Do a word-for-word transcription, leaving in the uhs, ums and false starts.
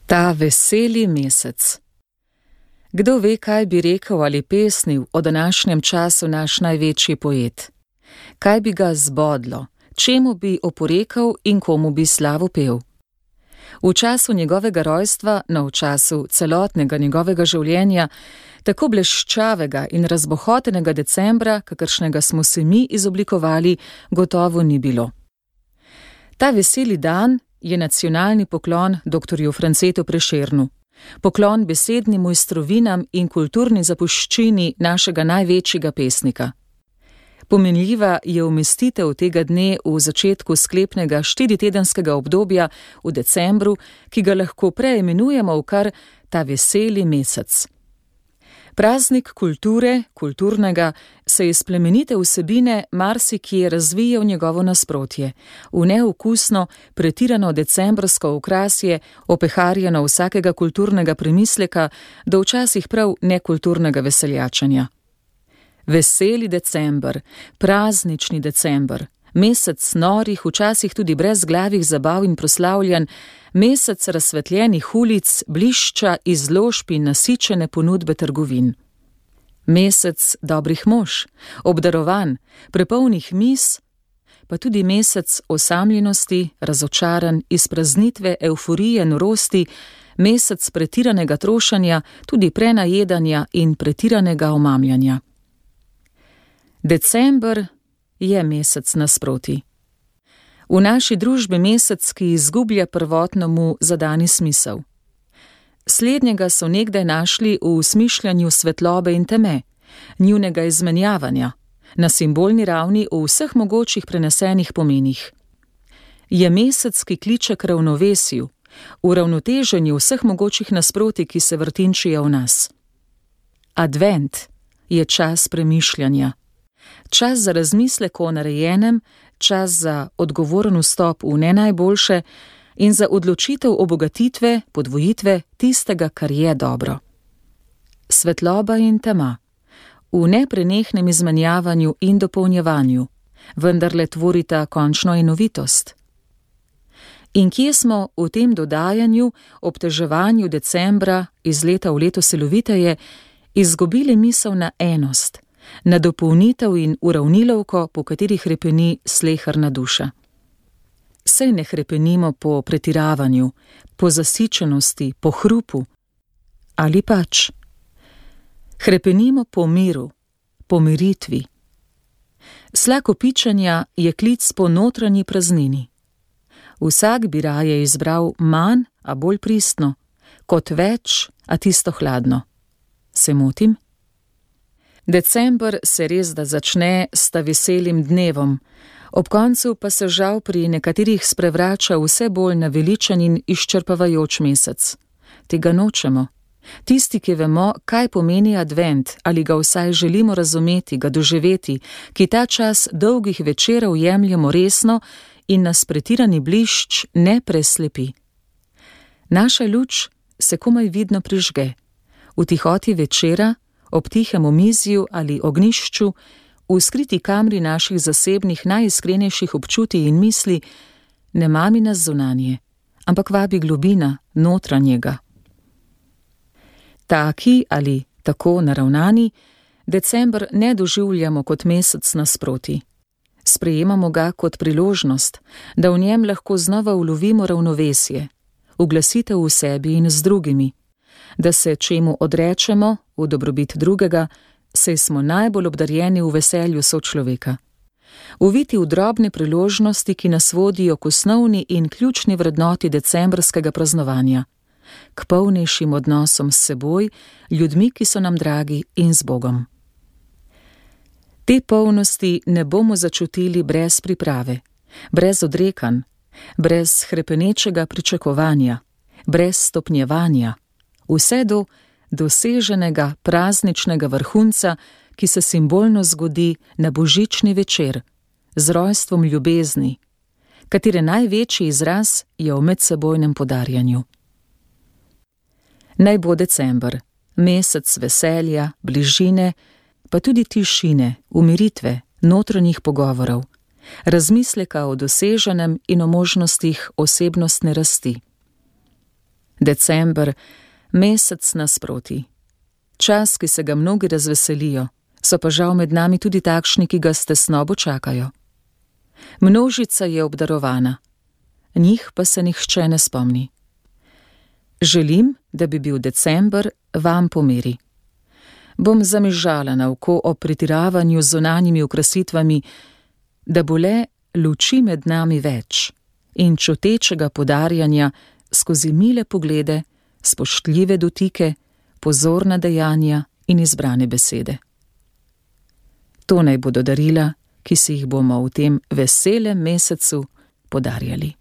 Ta veseli mesec. Kdo ve, kaj bi rekel ali pesnil o današnjem času naš največji poet? Kaj bi ga zbodlo, čemu bi oporekal in komu bi slavo pel? V času njegovega rojstva, no v času celotnega njegovega življenja, tako bleščavega in razbohotenega decembra, kakršnega smo se mi izoblikovali, gotovo ni bilo. Ta veseli dan je nacionalni poklon doktorju Francetu Prešernu, poklon besednim mojstrovinam in kulturni zapuščini našega največjega pesnika. Pomenljiva je umestitev tega dne v začetku sklepnega štiritedenskega obdobja v decembru, ki ga lahko preimenujemo v kar ta veseli mesec. Praznik kulture, kulturnega, se iz plemenite vsebine marsikje razvije v njegovo nasprotje, v neokusno, pretirano decembrsko okrasje, opeharjeno vsakega kulturnega premisleka, do včasih prav nekulturnega veseljačenja. Veseli december, praznični december, mesec norih, včasih tudi brezglavih zabav in proslavljanj, mesec razsvetljenih ulic, blišča, izložb in nasičene ponudbe trgovin. Mesec dobrih mož, obdarovan, prepolnih mis, pa tudi mesec osamljenosti, razočaran, izpraznitve, evforije, norosti, mesec pretiranega trošenja, tudi prenajedanja in pretiranega omamljanja. December je mesec nasproti. V naši družbi mesec, ki izgublja prvotno mu zadani smisel. Slednjega so nekdaj našli v smišljanju svetlobe in teme, njunega izmenjavanja, na simbolni ravni v vseh mogočih prenesenih pomenih. Je mesec, ki kliče k ravnovesju, v ravnoteženju vseh mogočih nasproti, ki se vrtinčijo v nas. Advent je čas premišljanja, čas za razmislek o narejenem, čas za odgovoren vstop v ne najboljše in za odločitev obogatitve, podvojitve tistega, kar je dobro. Svetloba in tema, v neprenehnem izmenjavanju in dopolnjevanju, vendarle tvorita končno enovitost. In kje smo v tem dodajanju, obteževanju decembra iz leta v leto siloviteje, izgubili misel na enost, na dopolnitev in uravnilovko, po katerih hrepeni sleherna duša. Sej ne hrepenimo po pretiravanju, po zasičenosti, po hrupu, ali pač. Hrepenimo po miru, po miritvi. Slak opičanja je klic po notranji praznini. Vsak bi raje izbral manj, a bolj pristno, kot več, a tisto hladno. Se motim? December se res da začne s ta veselim dnevom, ob koncu pa se žal pri nekaterih sprevrača vse bolj naveličan in izčrpavajoč mesec. Tega nočemo. Tisti, ki vemo, kaj pomeni advent, ali ga vsaj želimo razumeti, ga doživeti, ki ta čas dolgih večerov jemljemo resno in nas pretirani blišč ne preslepi. Naša luč se komaj vidno prižge. V tihoti večera, ob tihem omizju ali ognjišču, v skriti kamri naših zasebnih najiskrenejših občutij in misli, ne mami nas zunanje, ampak vabi globina notranjega. Taki ali tako naravnani, december ne doživljamo kot mesec nasproti. Sprejemamo ga kot priložnost, da v njem lahko znova ulovimo ravnovesje, uglasitev v sebi in z drugimi, da se čemu odrečemo v dobrobit drugega, saj smo najbolj obdarjeni v veselju sočloveka. Uviti v drobne priložnosti, ki nas vodijo k osnovni in ključni vrednoti decembrskega praznovanja, k polnejšim odnosom s seboj, ljudmi, ki so nam dragi, in z Bogom. Te polnosti ne bomo začutili brez priprave, brez odrekanj, brez hrepenečega pričakovanja, brez stopnjevanja, vse do doseženega prazničnega vrhunca, ki se simbolno zgodi na božični večer, z rojstvom ljubezni, katere največji izraz je v medsebojnem podarjanju. Naj bo december, mesec veselja, bližine, pa tudi tišine, umiritve, notranjih pogovorov, razmisleka o doseženem in o možnostih osebnostne rasti. December, mesec nasproti. Čas, ki se ga mnogi razveselijo, so pa žal med nami tudi takšni, ki ga s tesnobo čakajo. Množica je obdarovana, njih pa se nihče ne spomni. Želim, da bi bil december vam po meri. Bom zamižala na oko o pretiravanju z zunanjimi okrasitvami, da bo le luči med nami več in čutečega podarjanja skozi mile poglede, spoštljive dotike, pozorna dejanja in izbrane besede. To naj bodo darila, ki si jih bomo v tem veselem mesecu podarjali.